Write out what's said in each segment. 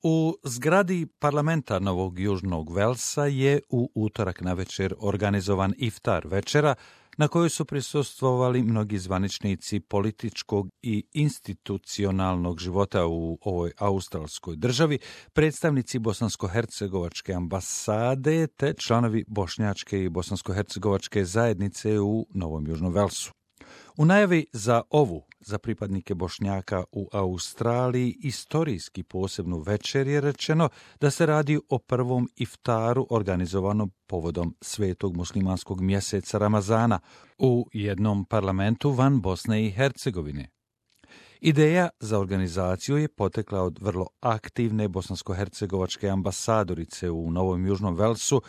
U zgradi parlamenta Novog Južnog Velsa je u utorak navečer organizovan iftar večera na kojoj su prisustvovali mnogi zvaničnici političkog i institucionalnog života u ovoj australskoj državi, predstavnici bosansko-hercegovačke ambasade te članovi bošnjačke i bosansko-hercegovačke zajednice u Novom Južnom Velsu. U najavi za pripadnike Bošnjaka u Australiji istorijski posebnu večer je rečeno da se radi o prvom iftaru organizovanom povodom svetog muslimanskog mjeseca Ramazana u jednom parlamentu van Bosne i Hercegovine. Ideja za organizaciju je potekla od vrlo aktivne bosansko-hercegovačke ambasadorice u Novom Južnom Velsu,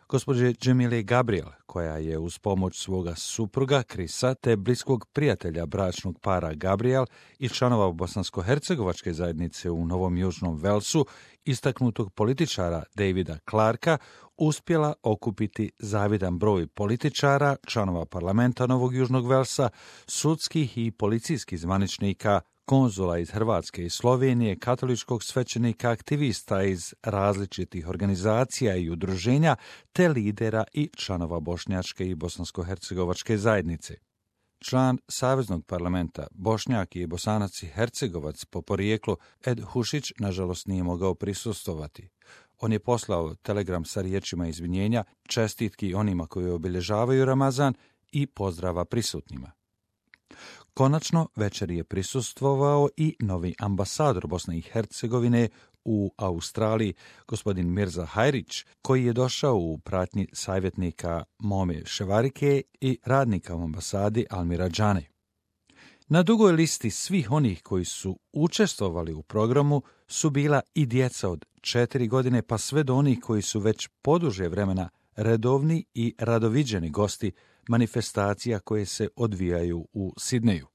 gospođe Džemile Gabriel, koja je uz pomoć svoga supruga Krisa te bliskog prijatelja bračnog para Gabriel i članova bosansko-hercegovačke zajednice u Novom Južnom Velsu, istaknutog političara Davida Clarka, uspjela okupiti zavidan broj političara, članova parlamenta Novog Južnog Velsa, sudskih i policijskih zvaničnika, konzula iz Hrvatske i Slovenije, katoličkog svećenika, aktivista iz različitih organizacija i udruženja, te lidera i članova bošnjačke i bosansko-hercegovačke zajednice. Član Saveznog parlamenta, Bošnjak i Bosanac i Hercegovac po porijeklu Ed Hušić nažalost nije mogao prisustvovati. On je poslao telegram sa riječima izvinjenja, čestitki onima koji obilježavaju Ramazan i pozdrava prisutnima. Konačno, večer je prisustvovao i novi ambasador Bosne i Hercegovine u Australiji, gospodin Mirza Hajrić, koji je došao u pratnji savjetnika Mome Ševarike i radnika u ambasadi Almira Džane. Na dugoj listi svih onih koji su učestvovali u programu su bila i djeca od 4 godine pa sve do onih koji su već poduže vremena redovni i radoviđeni gosti manifestacija koje se odvijaju u Sidneju.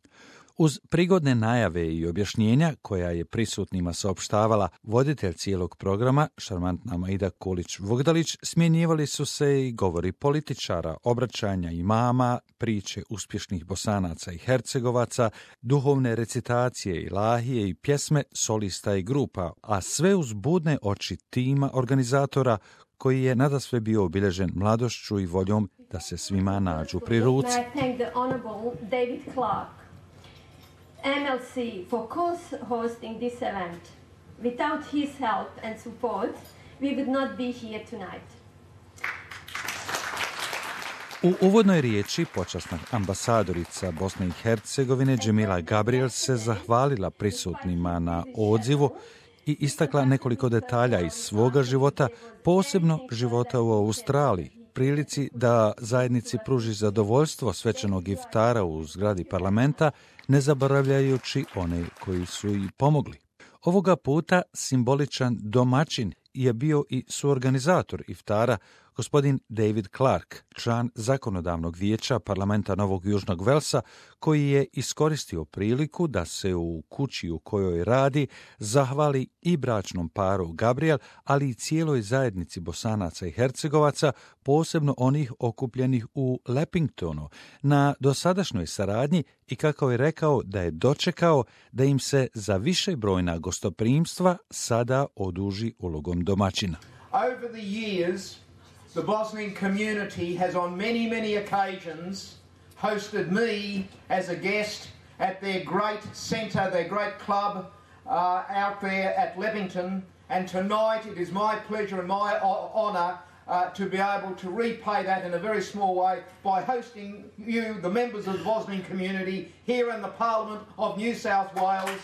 Uz prigodne najave i objašnjenja koja je prisutnima saopštavala voditelj cijelog programa, šarmantna Maida Kulić-Vugdalić, smjenjivali su se i govori političara, obraćanja imama, priče uspješnih Bosanaca i Hercegovaca, duhovne recitacije, ilahije i pjesme solista i grupa, a sve uz budne oči tima organizatora koji je nadasve bio obilježen mladošću i voljom da se svima nađu pri ruci. MLC for co-hosting this event. Without his help and support, we would not be here tonight. U uvodnoj riječi počasna ambasadorica Bosne i Hercegovine Džemila Gabriel se zahvalila prisutnima na odzivu i istakla nekoliko detalja iz svoga života, posebno života u Australiji, prilici da zajednici pruži zadovoljstvo svečanog iftara u zgradi parlamenta, ne zaboravljajući one koji su i pomogli. Ovoga puta simboličan domaćin je bio i suorganizator iftara, gospodin David Clark, član zakonodavnog vijeća parlamenta Novog Južnog Velsa, koji je iskoristio priliku da se u kući u kojoj radi zahvali i bračnom paru Gabriel, ali i cijeloj zajednici Bosanaca i Hercegovaca, posebno onih okupljenih u Leppingtonu, na dosadašnjoj saradnji i kako je rekao da je dočekao da im se za višebrojna gostoprimstva sada oduži ulogom domaćina. Over the years, the Bosnian community has on many occasions hosted me as a guest at their great centre, their great club out there at Leppington, and tonight it is my pleasure and my honour to be able to repay that in a very small way by hosting you, the members of the Bosnian community, here in the Parliament of New South Wales.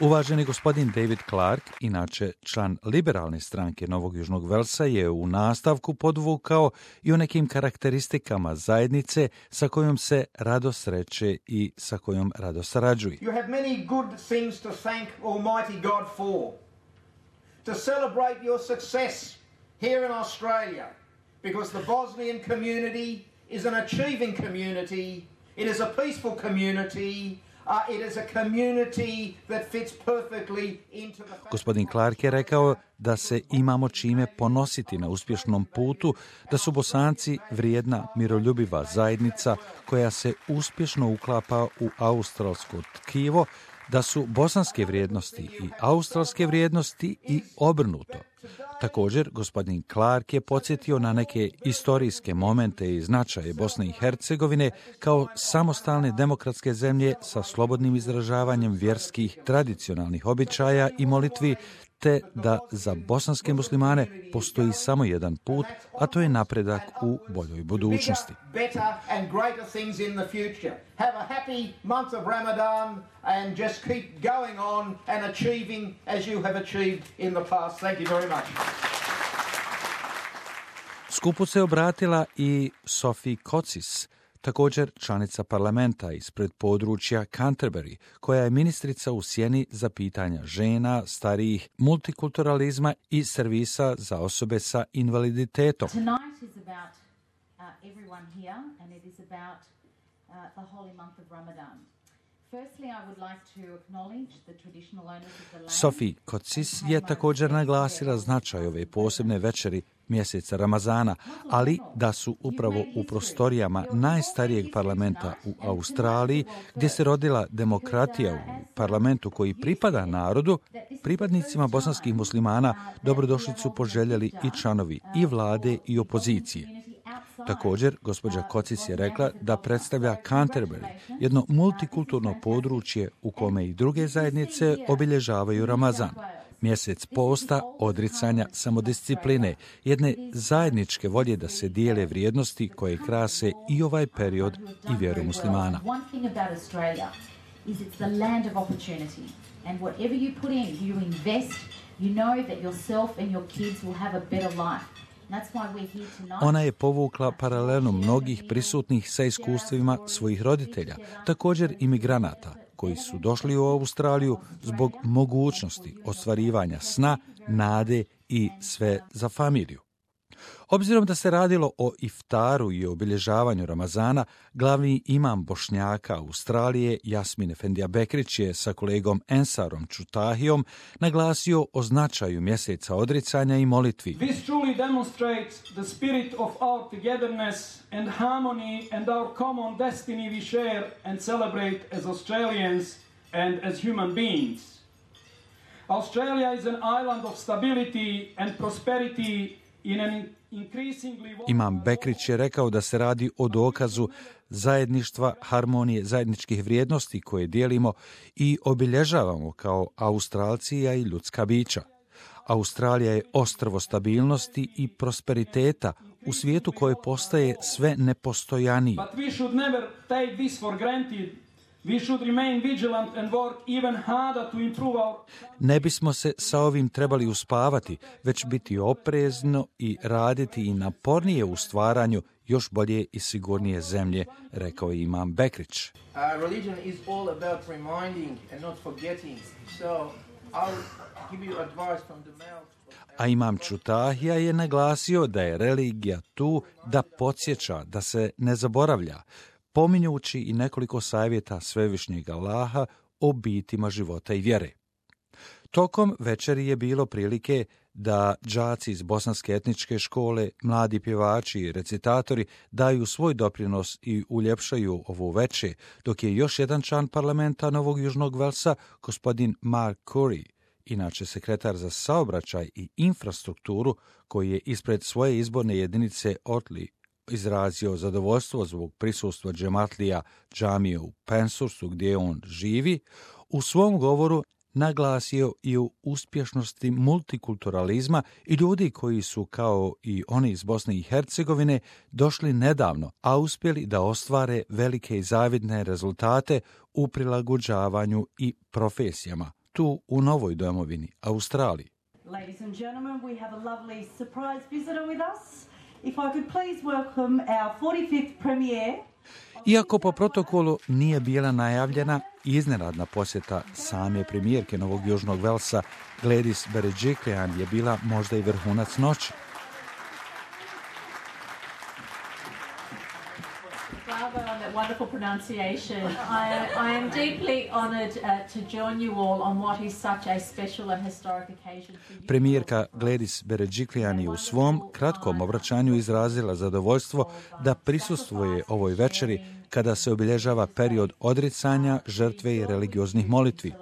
Uvaženi gospodin David Clark, inače član liberalne stranke Novog Južnog Velsa, je u nastavku podvukao i o nekim karakteristikama zajednice sa kojom se rado sreće i sa kojom rado sarađuje. You have many good things to thank Almighty God for. To celebrate your success here in Australia, because the Bosnian community is an achieving community, it is a peaceful community, it is a community that fits perfectly into the... Gospodin Clark je rekao da se imamo čime ponositi na uspješnom putu, da su Bosanci vrijedna, miroljubiva zajednica koja se uspješno uklapa u australsko tkivo, da su bosanske vrijednosti i australske vrijednosti i obrnuto. Također, gospodin Clark je podsjetio na neke istorijske momente i značaje Bosne i Hercegovine kao samostalne demokratske zemlje sa slobodnim izražavanjem vjerskih tradicionalnih običaja i molitvi, te da za bosanske muslimane postoji samo jedan put, a to je napredak u boljoj budućnosti. Skupu se obratila i Sophie Kotsis, također članica parlamenta ispred područja Canterbury, koja je ministrica u sjeni za pitanja žena, starijih, multikulturalizma i servisa za osobe sa invaliditetom. Sophie Kotsis je također naglasila značaj ove posebne večeri mjeseca Ramazana, ali da su upravo u prostorijama najstarijeg parlamenta u Australiji, gdje se rodila demokratija u parlamentu koji pripada narodu, pripadnicima bosanskih muslimana dobrodošlicu poželjeli i članovi i vlade i opozicije. Također, gospođa Kotsis je rekla da predstavlja Canterbury, jedno multikulturno područje u kome i druge zajednice obilježavaju Ramazan, mjesec posta, odricanja, samodiscipline, jedne zajedničke volje da se dijele vrijednosti koje krase i ovaj period i vjeru muslimana. Ona je povukla paralelu mnogih prisutnih sa iskustvima svojih roditelja, također imigranata, koji su došli u Australiju zbog mogućnosti ostvarivanja sna, nade i sve za familiju. Obzirom da se radilo o iftaru i obilježavanju Ramazana, glavni imam Bošnjaka Australije Jasmin Efendija Bekrić je sa kolegom Ensarom Čutahijom naglasio o značaju mjeseca odricanja i molitvi. This truly demonstrates the spirit of our togetherness and harmony and our common destiny we share and celebrate as Australians and as human beings. Australia is an island of stability and prosperity in an Imam Bekrić je rekao da se radi o dokazu zajedništva, harmonije, zajedničkih vrijednosti koje dijelimo i obilježavamo kao Australci, a i ljudska bića. Australija je ostrvo stabilnosti i prosperiteta u svijetu koje postaje sve nepostojaniji. But we should never take this for granted. We should remain vigilant and work even harder to improve our... Ne bismo se sa ovim trebali uspavati, već biti oprezno i raditi i napornije u stvaranju još bolje i sigurnije zemlje, rekao je imam Bekrić. Religion is all about reminding and not forgetting. So I'll give you advice from the mouth. A imam Čutahija je naglasio da je religija tu da podsjeća, da se ne zaboravlja, pominjući i nekoliko savjeta Svevišnjeg Allaha o bitima života i vjere. Tokom večeri je bilo prilike da đaci iz bosanske etničke škole, mladi pjevači i recitatori daju svoj doprinos i uljepšaju ovu večer, dok je još jedan član parlamenta Novog Južnog Velsa, gospodin Mark Curry, inače sekretar za saobraćaj i infrastrukturu, koji je ispred svoje izborne jedinice Otley izrazio zadovoljstvo zbog prisustva džematlija džamije u Penshurstu gdje on živi, u svom govoru naglasio i u uspješnosti multikulturalizma i ljudi koji su, kao i oni iz Bosne i Hercegovine, došli nedavno, a uspjeli da ostvare velike i zavidne rezultate u prilagođavanju i profesijama, tu u novoj domovini, Australiji. Ladies and gentlemen, we have a lovely surprise visitor with us. If I could please welcome our 45th premier. Iako po protokolu nije bila najavljena, iznenadna posjeta same premijerke Novog Južnog Velsa, Gladys Berejiklian, je bila možda i vrhunac noći. Father, that wonderful pronunciation. I am deeply honoured to join you all on what is such a special and historic occasion for you. Premijerka Gladys Berejiklian je u svom kratkom obraćanju izrazila zadovoljstvo da prisustvuje ovoj večeri kada se obilježava period odricanja, žrtve i religioznih molitvi.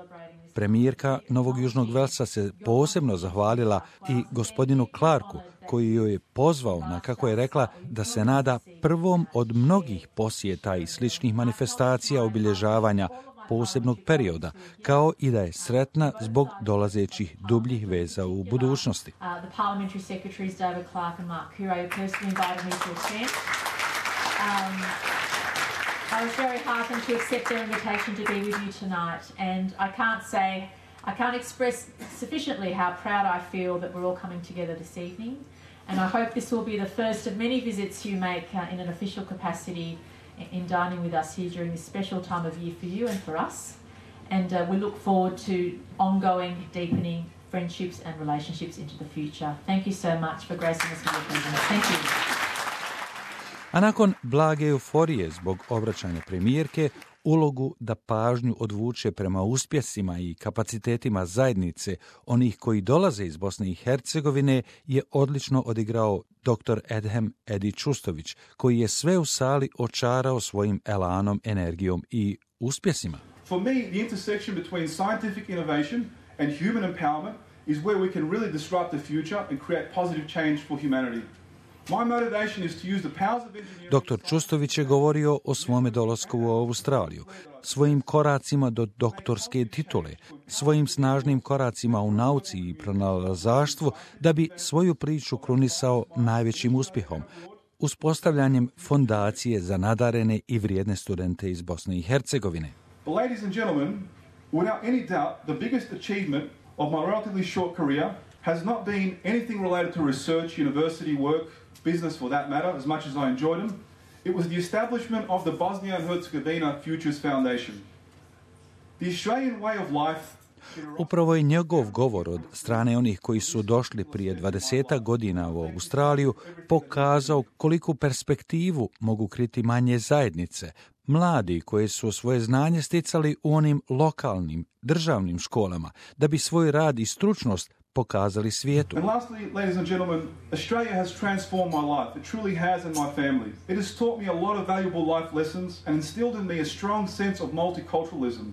Premijerka Novog Južnog Velsa se posebno zahvalila i gospodinu Clarku, koji joj je pozvao na, kako je rekla, da se nada prvom od mnogih posjeta i sličnih manifestacija obilježavanja posebnog perioda, kao i da je sretna zbog dolazećih dubljih veza u budućnosti. I was very heartened to accept their invitation to be with you tonight, and I can't express sufficiently how proud I feel that we're all coming together this evening, and I hope this will be the first of many visits you make in an official capacity in dining with us here during this special time of year for you and for us, and we look forward to ongoing, deepening friendships and relationships into the future. Thank you so much for gracing us with your presence. Thank you. A nakon blage euforije zbog obraćanja premijerke, ulogu da pažnju odvuče prema uspjesima i kapacitetima zajednice onih koji dolaze iz Bosne i Hercegovine je odlično odigrao dr. Edhem Edi Čustović, koji je sve u sali očarao svojim elanom, energijom i uspjesima. For me, the intersection between scientific innovation and human empowerment is where we can really disrupt the future and create positive change for humanity. Dr. Čustović je govorio o svome dolasku u Australiju, svojim koracima do doktorske titule, svojim snažnim koracima u nauci i pronalazaštvu da bi svoju priču krunisao najvećim uspjehom, uspostavljanjem fondacije za nadarene i vrijedne studente iz Bosne i Hercegovine. Ladies and gentlemen, without any doubt, the biggest achievement of my relatively short career has not been anything related to research, university work, business for that matter, as much as I enjoyed them. It was the establishment of the Bosnia and Herzegovina Futures Foundation. The Australian way of life. Upravo je njegov govor od strane onih koji su došli prije 20 godina u Australiju pokazao koliku perspektivu mogu kriti manje zajednice, mladi koji su svoje znanje sticali u onim lokalnim, državnim školama, da bi svoj rad i stručnost pokazali svijetu. And lastly, ladies and gentlemen, Australia has transformed my life. It truly has in my family. It has taught me a lot of valuable life lessons and instilled in me a strong sense of multiculturalism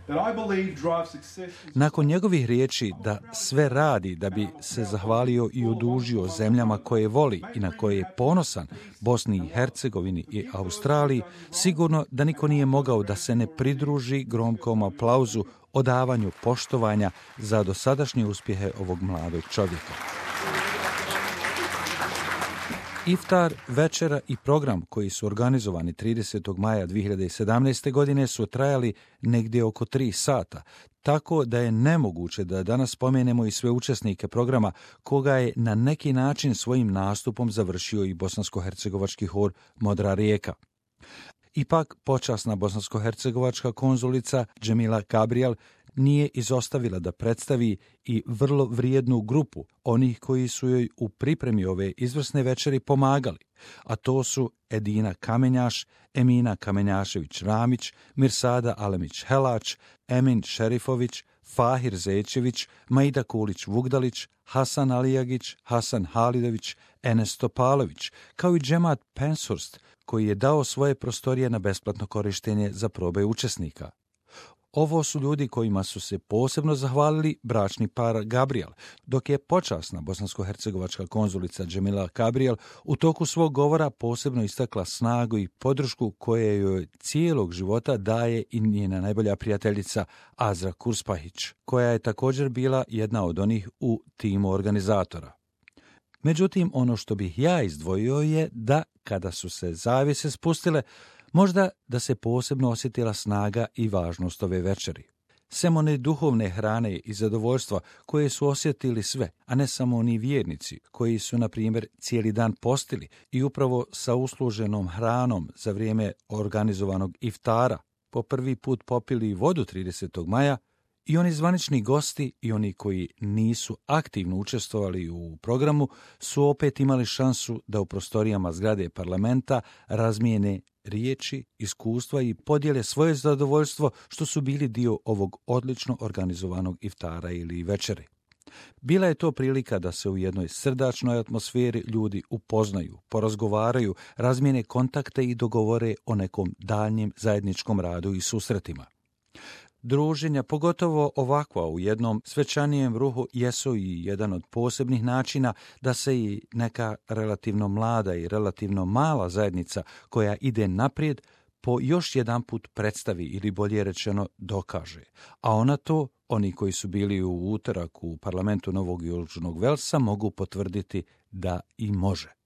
that I believe drives success. Nakon njegovih riječi da sve radi da bi se zahvalio i odužio zemljama koje voli i na koje je ponosan, Bosni i Hercegovini i Australiji, sigurno da niko nije mogao da se ne pridruži gromkom aplauzu odavanju poštovanja za dosadašnje uspjehe ovog mladog čovjeka. Iftar, večera i program koji su organizovani 30. maja 2017. godine su trajali negdje oko 3 sata, tako da je nemoguće da danas spomenemo i sve učesnike programa koga je na neki način svojim nastupom završio i bosansko-hercegovački hor Modra rijeka. Ipak, počasna bosansko-hercegovačka konzulica Džemila Gabriel nije izostavila da predstavi i vrlo vrijednu grupu onih koji su joj u pripremi ove izvrsne večeri pomagali, a to su Edina Kamenjaš, Emina Kamenjašević-Ramić, Mirsada Alemić-Helač, Emin Šerifović, Fahir Zečević, Maida Kulić-Vugdalić, Hasan Alijagić, Hasan Halidović, Enes Topalović, kao i Džemat Penshurst, koji je dao svoje prostorije na besplatno korištenje za probe učesnika. Ovo su ljudi kojima su se posebno zahvalili bračni par Gabriel, dok je počasna bosansko-hercegovačka konzulica Džemila Gabriel u toku svog govora posebno istakla snagu i podršku koje joj cijelog života daje i njena najbolja prijateljica Azra Kurspahić, koja je također bila jedna od onih u timu organizatora. Međutim, ono što bih ja izdvojio je da, kada su se zavjese spustile, možda da se posebno osjetila snaga i važnost ove večeri. Sem one duhovne hrane i zadovoljstva koje su osjetili sve, a ne samo oni vjernici koji su, na primjer, cijeli dan postili i upravo sa usluženom hranom za vrijeme organizovanog iftara po prvi put popili vodu 30. maja, I oni zvanični gosti i oni koji nisu aktivno učestvovali u programu su opet imali šansu da u prostorijama zgrade parlamenta razmijene riječi, iskustva i podijele svoje zadovoljstvo što su bili dio ovog odlično organizovanog iftara ili večere. Bila je to prilika da se u jednoj srdačnoj atmosferi ljudi upoznaju, porazgovaraju, razmijene kontakte i dogovore o nekom daljnjem zajedničkom radu i susretima. Druženja, pogotovo ovakva u jednom svečanijem ruhu, jesu i jedan od posebnih načina da se i neka relativno mlada i relativno mala zajednica koja ide naprijed po još jedan put predstavi ili bolje rečeno dokaže. A ona to, oni koji su bili u utorak u parlamentu Novog Južnog Velsa, mogu potvrditi da i može.